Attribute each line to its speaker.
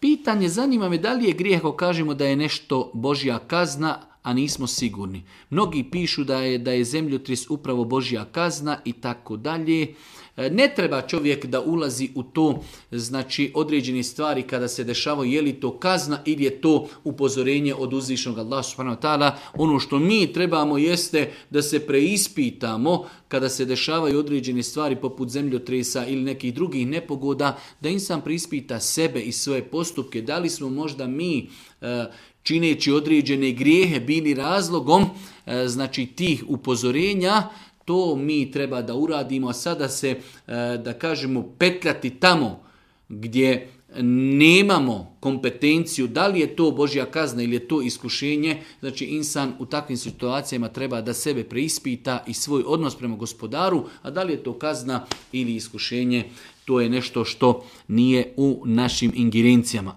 Speaker 1: Pitanje, zanima me da li je grijeh ako kažemo da je nešto Božja kazna, a nismo sigurni. Mnogi pišu da je zemljotres upravo Božja kazna i tako dalje. Ne treba čovjek da ulazi u to, znači određene stvari kada se dešavaju, je li to kazna ili je to upozorenje od uzvišenog Allaha subhanahu wa ta'ala. Ono što mi trebamo jeste da se preispitamo kada se dešavaju određene stvari poput zemljotresa ili nekih drugih nepogoda, da insan preispita sebe i svoje postupke, da li smo možda mi čineći određene grijehe bili razlogom znači tih upozorenja. To mi treba da uradimo, a sada se, da kažemo, petljati tamo gdje nemamo kompetenciju, da li je to Božja kazna ili je to iskušenje. Znači insan u takvim situacijama treba da sebe preispita i svoj odnos prema Gospodaru, a da li je to kazna ili iskušenje, to je nešto što nije u našim ingerencijama.